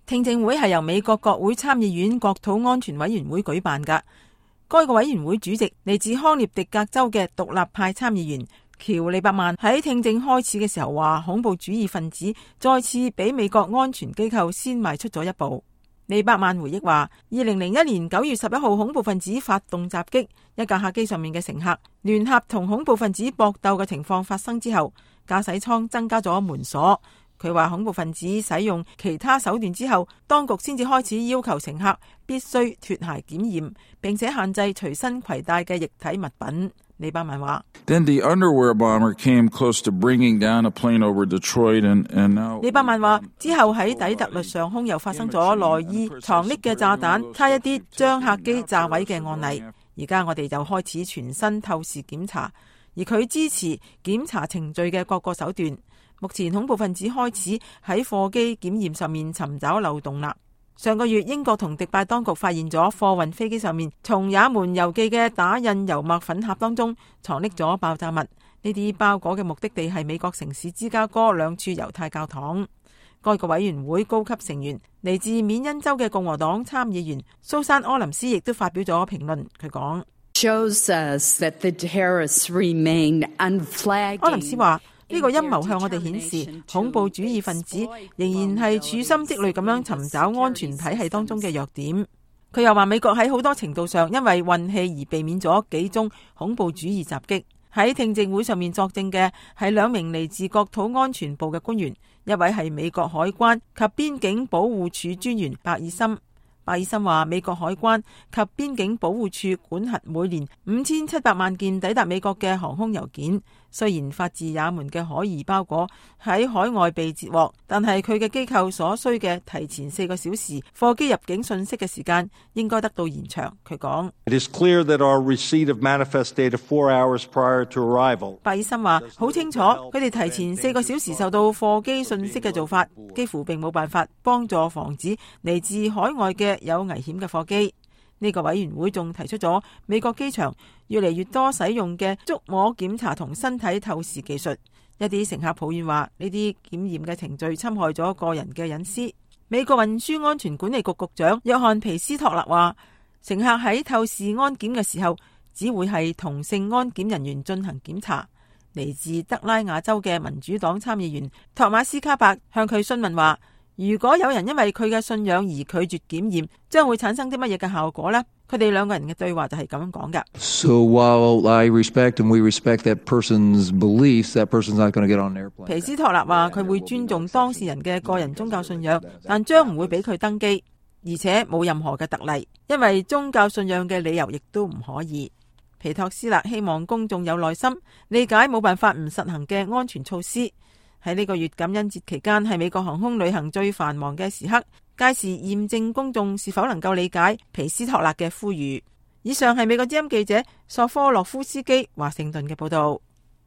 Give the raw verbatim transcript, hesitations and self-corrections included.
聽證會係由美國國會參議院國土安全委員會舉辦㗎。該個委員會主席嚟自康涅狄格州嘅獨立派參議員喬利伯曼喺聽證開始嘅時候話，恐怖主義分子再次比美國安全機構先邁出咗一步。利伯曼回憶話，二零零一年九月十一號恐怖分子發動襲擊，一架客機上面嘅乘客聯合同恐怖分子搏鬥嘅情況發生之後，駕駛艙增加咗門鎖。佢話恐怖分子使用其他手段之後，當局先至開始要求乘客必須脫鞋檢驗，並且限制隨身攜帶嘅液體物品。利伯曼話，利伯曼話之後喺底特律上空又發生咗內衣藏匿嘅炸彈，差一啲將客機炸毀嘅案例。而家我哋就開始全身透視檢查，而佢支持檢查程序嘅各個手段。目前恐怖分子開始喺貨機檢驗上面尋找漏洞啦。上個月英國同迪拜當局發現咗貨運飛機上面從也門郵寄嘅打印油墨粉盒當中藏匿咗爆炸物，呢啲包裹嘅目的地係美國城市芝加哥兩處猶太教堂。該個委員會高級成員嚟自緬因州嘅共和黨參議員蘇珊柯林斯亦都發表咗評論，佢講，柯林斯話，呢個陰謀向我哋顯示，恐怖主義分子仍然係處心積慮咁樣尋找安全體系當中嘅弱點。佢又話，美國喺好多程度上因為運氣而避免咗幾宗恐怖主義襲擊。喺聽證會上面作證嘅係兩名嚟自國土安全部嘅官員，一位係美國海關及邊境保護處專員白爾森。白爾森話，美國海關及邊境保護處管轄每年五千七百萬件抵達美國嘅航空郵件。雖然發自也門嘅可疑包裹喺海外被截獲，但係佢嘅機構所需嘅提前四個小時貨機入境信息嘅時間應該得到延長。佢講，白爾森話好清楚，佢哋提前四個小時受到貨機信息嘅做法，幾乎並冇辦法幫助防止嚟自海外嘅有危險嘅貨機。呢個委員會仲提出咗美國機場越嚟越多使用嘅觸摸檢查同身體透視技術。一啲乘客抱怨話，呢啲檢驗嘅程序侵害咗個人嘅隱私。美國運輸安全管理局局長約翰皮斯托勒話，乘客喺透視安檢嘅時候，只會係同性安檢人員進行檢查。嚟自德拉瓦州嘅民主黨參議員托馬斯卡伯向佢詢問話，如果有人因為佢嘅信仰而拒絕檢驗，將會產生啲乜嘢嘅效果呢？佢哋兩個人嘅對話就係咁樣講㗎。So while I respect and we respect that person's beliefs, that person's not going to get on an airplane. 皮斯托納話佢會尊重當事人嘅個人宗教信仰，但將唔會俾佢登機，而且冇任何嘅特例，因為宗教信仰嘅理由亦都唔可以。皮托斯勒希望公眾有耐心，理解冇辦法唔實行嘅安全措施。喺呢個月感恩節期間，係美國航空旅行最繁忙嘅時刻，屆時驗證公眾是否能夠理解皮斯托勒嘅呼籲。以上係美國之音記者索科洛夫斯基華盛頓嘅報道。